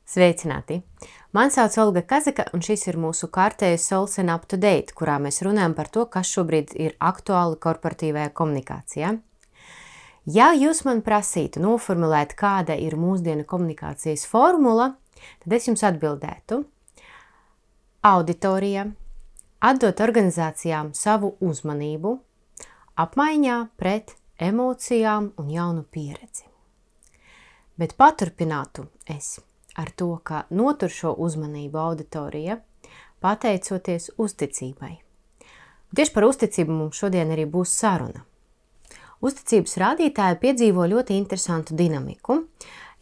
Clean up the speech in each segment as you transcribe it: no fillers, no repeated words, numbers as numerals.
Sveicināti! Mani sauc Olga Kazaka, un šis ir mūsu kārtējais Sols and Up to Date, kurā mēs runājam par to, kas šobrīd ir aktuāli korporatīvajā komunikācijā. Ja jūs man prasītu noformulēt, kāda ir mūsdienu komunikācijas formula, tad es jums atbildētu: auditorija, atdot organizācijām savu uzmanību, apmaiņā pret emocijām un jaunu pieredzi. Bet paturpinātu es ar to, ka notur šo uzmanību auditorija, pateicoties uzticībai. Tieši par uzticību mums šodien arī būs saruna. Uzticības rādītāji piedzīvo ļoti interesantu dinamiku.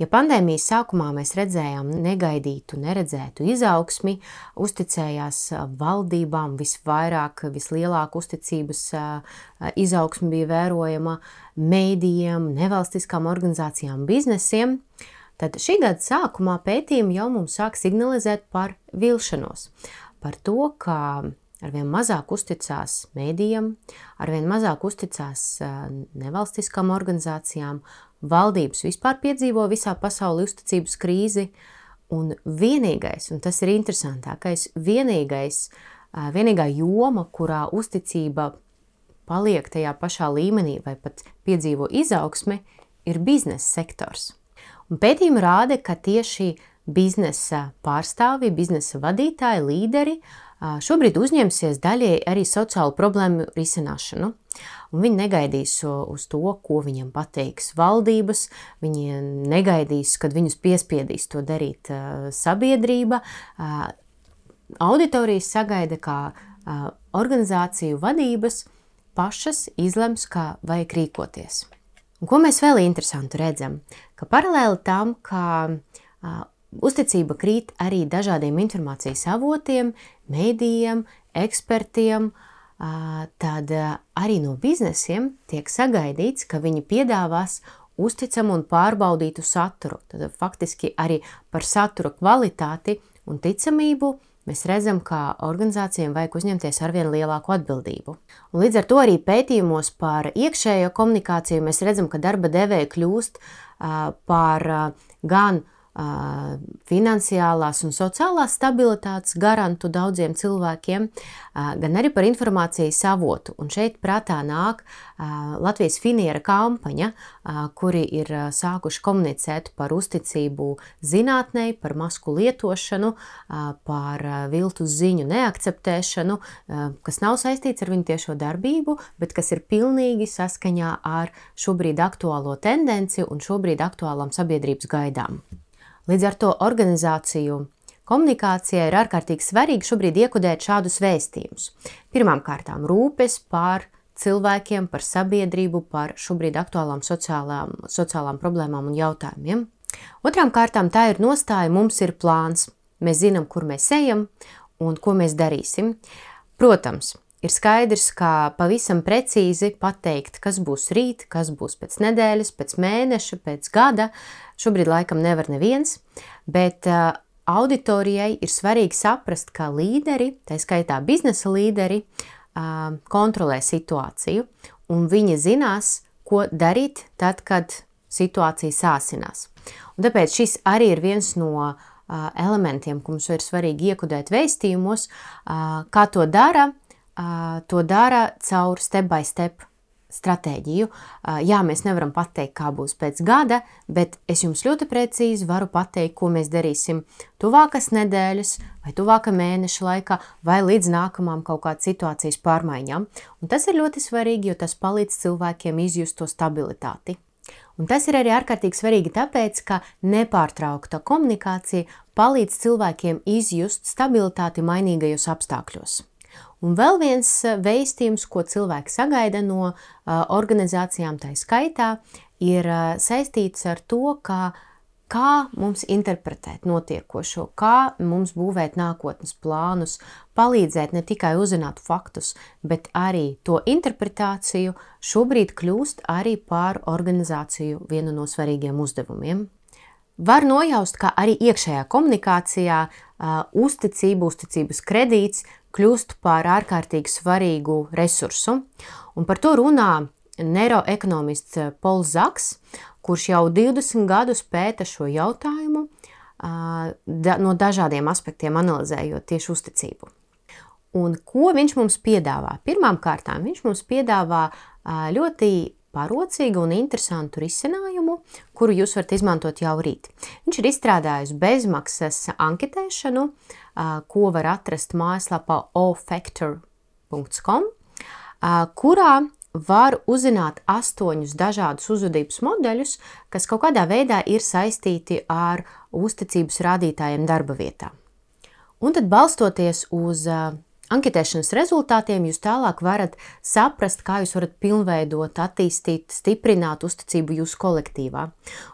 Ja pandēmijas sākumā mēs redzējām negaidītu, neredzētu izaugsmi, uzticējās valdībām visvairāk, vislielāka uzticības izaugsmi bija vērojama mēdījiem, nevalstiskām organizācijām, biznesiem, tad šī gada sākumā pētījumi jau mums sāk signalizēt par vilšanos, par to, ka arvien mazāk uzticās mēdījiem, arvien mazāk uzticās nevalstiskām organizācijām, valdības vispār piedzīvo visā pasaulē uzticības krīzi, un vienīgais, un tas ir interesantākais, vienīgā joma, kurā uzticība paliek tajā pašā līmenī vai pat piedzīvo izaugsmi, ir biznesa sektors. Un pētījumi rāda, ka tieši biznesa pārstāvji, biznesa vadītāji, līderi šobrīd uzņemsies daļai arī sociālu problēmu risināšanu. Un viņi negaidīs uz to, ko viņam pateiks valdības, viņi negaidīs, kad viņus piespiedīs to darīt sabiedrība. Auditorijas sagaida, kā organizāciju vadības pašas izlems, kā vajag rīkoties. Un ko mēs vēl interesantu redzam? Ka paralēli tam, ka uzticība krīt arī dažādiem informācijas avotiem, mēdījiem, ekspertiem, tad arī no biznesiem tiek sagaidīts, ka viņi piedāvās uzticamu un pārbaudītu saturu. Tad faktiski arī par satura kvalitāti un ticamību mēs redzam, ka organizācijām vajag uzņemties arvien lielāku atbildību. Un līdz ar to arī pētījumos par iekšējo komunikāciju mēs redzam, ka darba devēji kļūst par gan finansiālās un sociālās stabilitātes garantu daudziem cilvēkiem, gan arī par informācijas avotu. Un šeit prātā nāk Latvijas Finiera kampaņa, kuri ir sākuši komunicēt par uzticību zinātnei, par masku lietošanu, par viltus ziņu neakceptēšanu, kas nav saistīts ar viņu tiešo darbību, bet kas ir pilnīgi saskaņā ar šobrīd aktuālo tendenci un šobrīd aktuālām sabiedrības gaidām. Līdz ar to organizāciju komunikācijai ir ārkārtīgi svarīgi šobrīd iekodēt šādus vēstījumus. Pirmām kārtām rūpes par cilvēkiem, par sabiedrību, par šobrīd aktuālām sociālām problēmām un jautājumiem. Otrām kārtām tā ir nostāja, mums ir plāns. Mēs zinām, kur mēs ejam un ko mēs darīsim. Protams, ir skaidrs, ka pavisam precīzi pateikt, kas būs rīt, kas būs pēc nedēļas, pēc mēneša, pēc gada, šobrīd laikam nevar neviens, bet auditorijai ir svarīgi saprast, ka līderi, tā skaitā biznesa līderi, kontrolē situāciju, un viņi zinās, ko darīt tad, kad situācija sāsinās. Un tāpēc šis arī ir viens no elementiem, ko mums ir svarīgi iekodēt vēstījumos, kā to dara. To dara caur step by step stratēģiju. Jā, mēs nevaram pateikt, kā būs pēc gada, bet es jums ļoti precīzi varu pateikt, ko mēs darīsim tuvākas nedēļas vai tuvāka mēneša laikā vai līdz nākamām kaut kādas situācijas pārmaiņām. Un tas ir ļoti svarīgi, jo tas palīdz cilvēkiem izjust to stabilitāti. Un tas ir arī ārkārtīgi svarīgi tāpēc, ka nepārtraukta komunikācija palīdz cilvēkiem izjust stabilitāti mainīgajos apstākļos. Un vēl viens vēstījums, ko cilvēki sagaida no organizācijām tā skaitā, ir saistīts ar to, kā mums interpretēt notiekošo, kā mums būvēt nākotnes plānus, palīdzēt ne tikai uzzināt faktus, bet arī to interpretāciju šobrīd kļūst arī par organizāciju vienu no svarīgiem uzdevumiem. Var nojaust, ka arī iekšējā komunikācijā uzticības kredīts kļūst par ārkārtīgi svarīgu resursu. Un par to runā neiroekonomists Pols Zaks, kurš jau 20 gadus pēta šo jautājumu, no dažādiem aspektiem analizējot tieši uzticību. Un ko viņš mums piedāvā? Pirmām kārtām viņš mums piedāvā ļoti parocīgu un interesantu risinājumu, kuru jūs varat izmantot jau rīt. Viņš ir izstrādājis bezmaksas anketēšanu, ko var atrast mājaslapā ofactor.com, kurā var uzzināt 8 dažādus uzvedības modeļus, kas kaut kādā veidā ir saistīti ar uzticības rādītājiem darba vietā. Un tad balstoties uz anketēšanas rezultātiem jūs tālāk varat saprast, kā jūs varat pilnveidot, attīstīt, stiprināt uzticību jūsu kolektīvā.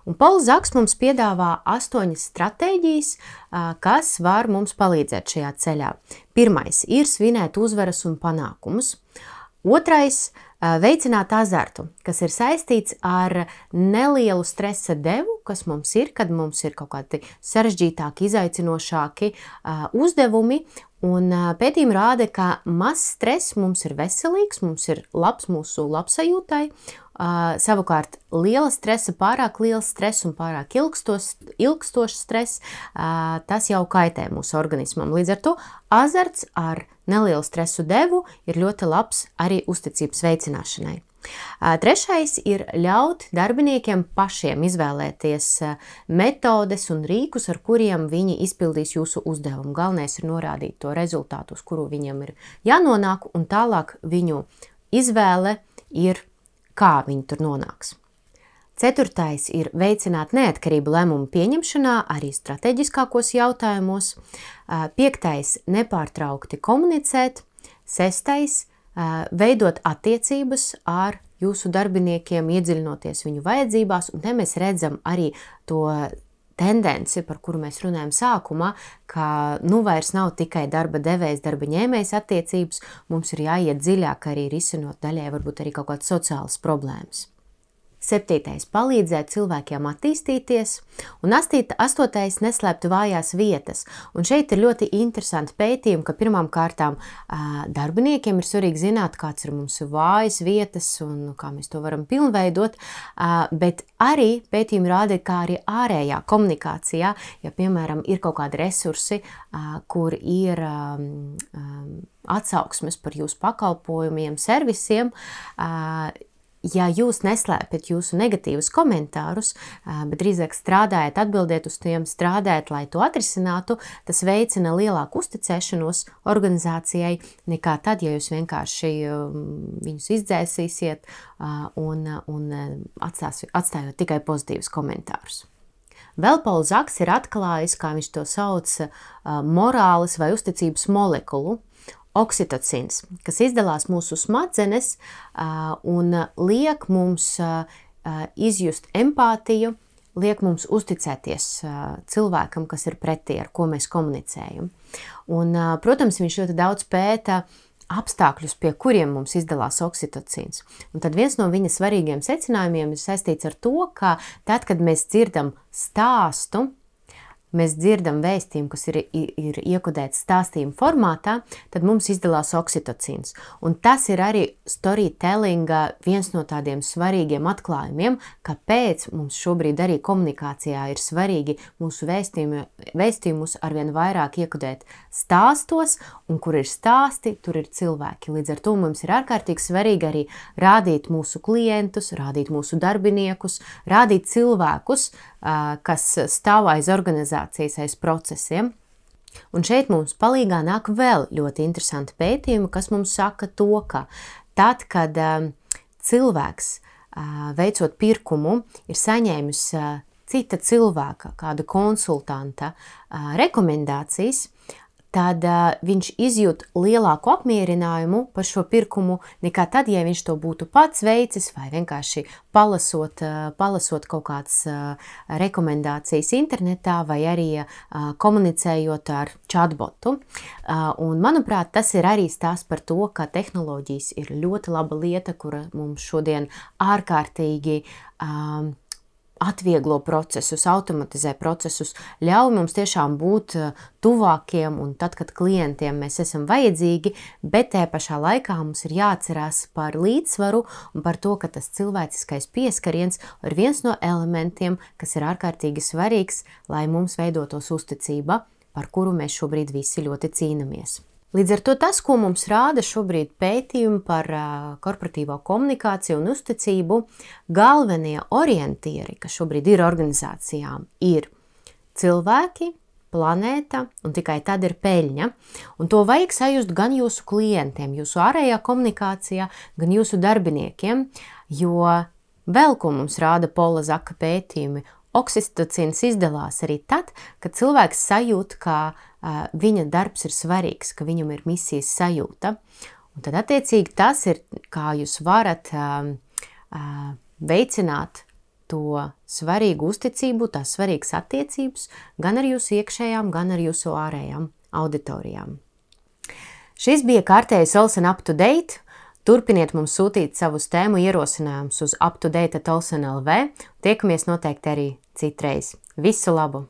Un Pols Zaks mums piedāvā 8 stratēģijas, kas var mums palīdzēt šajā ceļā. Pirmais ir svinēt uzvaras un panākumus. Otrais – veicināt azartu, kas ir saistīts ar nelielu stresa devu, kas mums ir, kad mums ir kaut kādi sarežģītāki, izaicinošāki uzdevumi. Un pētījumi rāda, ka mazs stress mums ir veselīgs, mums ir labs mūsu labsajūtai. Savukārt liela stresa, pārāk liels stress un pārāk ilgstošs stress, tas jau kaitē mūsu organismam. Līdz ar to azarts ar nelielu stresu devu ir ļoti labs arī uzticības veicināšanai. Trešais ir ļaut darbiniekiem pašiem izvēlēties metodes un rīkus, ar kuriem viņi izpildīs jūsu uzdevumu. Galvenais ir norādīt to rezultātu, uz kuru viņam ir jānonāk, un tālāk viņu izvēle ir, kā viņi tur nonāks. Ceturtais ir veicināt neatkarību lēmumu pieņemšanā, arī strateģiskākos jautājumos. Piektais – nepārtraukti komunicēt. Sestais – veidot attiecības ar jūsu darbiniekiem, iedziļinoties viņu vajadzībās, un te mēs redzam arī to tendenci, par kuru mēs runājam sākumā, ka vairs nav tikai darba devējs, darba ņēmējs attiecības, mums ir jāiet dziļāk arī risinot daļai varbūt arī kaut kādas sociālas problēmas. 7. palīdzēt cilvēkiem attīstīties, un 8. neslēpt vājās vietas. Un šeit ir ļoti interesanti pētījumi, ka pirmām kārtām darbiniekiem ir svarīgi zināt, kāds ir mums vājas vietas un kā mēs to varam pilnveidot, bet arī pētījumi rāda, kā arī ārējā komunikācijā, ja piemēram ir kaut kādi resursi, kur ir atsauksmes par jūsu pakalpojumiem, servisiem, ja jūs neslēpjat jūsu negatīvus komentārus, bet drīzāk strādājat, atbildiet uz tiem, strādājat, lai to atrisinātu, tas veicina lielāku uzticēšanos organizācijai nekā tad, ja jūs vienkārši viņus izdzēsīsiet un atstājot tikai pozitīvus komentārus. Vēl Pols Zaks ir atklājis, kā viņš to sauc, morāles vai uzticības molekulu, oksitocīns, kas izdalās mūsu smadzenes un liek mums izjust empātiju, liek mums uzticēties cilvēkam, kas ir pretī, ar ko mēs komunicējam. Un, protams, viņš ļoti daudz pēta apstākļus, pie kuriem mums izdalās oksitocīns. Un tad viens no viņa svarīgiem secinājumiem ir saistīts ar to, ka tad, kad mēs dzirdam stāstu, mēs dzirdam vēstījumu, kas ir iekodēts stāstījuma formātā, tad mums izdalās oksitocīns. Un tas ir arī storytellinga viens no tādiem svarīgiem atklājumiem, kāpēc mums šobrīd arī komunikācijā ir svarīgi mūsu vēstījumus arvien vairāk iekodēt stāstos, un kur ir stāsti, tur ir cilvēki. Līdz ar to mums ir ārkārtīgi svarīgi arī rādīt mūsu klientus, rādīt mūsu darbiniekus, rādīt cilvēkus, kas stāv aiz organizācijas, aiz procesiem. Un šeit mums palīgā nāk vēl ļoti interesanti pētījumi, kas mums saka to, ka tad, kad cilvēks veicot pirkumu ir saņēmis cita cilvēka, kāda konsultanta rekomendācijas, tad viņš izjūt lielāku apmierinājumu par šo pirkumu nekā tad, ja viņš to būtu pats veicis vai vienkārši palasot kaut kādas rekomendācijas internetā vai arī komunicējot ar chatbotu. Un, manuprāt, tas ir arī stāsts par to, ka tehnoloģijas ir ļoti laba lieta, kura mums šodien ārkārtīgi atvieglo procesus, automatizē procesus, ļauj mums tiešām būt tuvākiem un tad, kad klientiem mēs esam vajadzīgi, bet tajā pašā laikā mums ir jāatcerās par līdzsvaru un par to, ka tas cilvēciskais pieskariens ir viens no elementiem, kas ir ārkārtīgi svarīgs, lai mums veidotos uzticība, par kuru mēs šobrīd visi ļoti cīnamies. Līdz ar to tas, ko mums rāda šobrīd pētījumi par korporatīvo komunikāciju un uzticību, galvenie orientieri, kas šobrīd ir organizācijām, ir cilvēki, planēta un tikai tad ir peļņa. Un to vajag sajust gan jūsu klientiem, jūsu ārējā komunikācijā, gan jūsu darbiniekiem, jo vēl ko mums rāda Pola Zaka pētījumi, oksitocīns izdalās arī tad, kad cilvēks sajūt, ka viņa darbs ir svarīgs, ka viņam ir misijas sajūta. Un tad attiecīgi tas ir, kā jūs varat veicināt to svarīgu uzticību, tās svarīgas attiecības gan ar jūsu iekšējām, gan ar jūsu ārējām auditorijām. Šis bija kārtējais Olsen Up to Date. Turpiniet mums sūtīt savus tēmu ierosinājumus uz uptodate@olsen.lv. Tiekamies noteikti arī citreiz. Visu labu!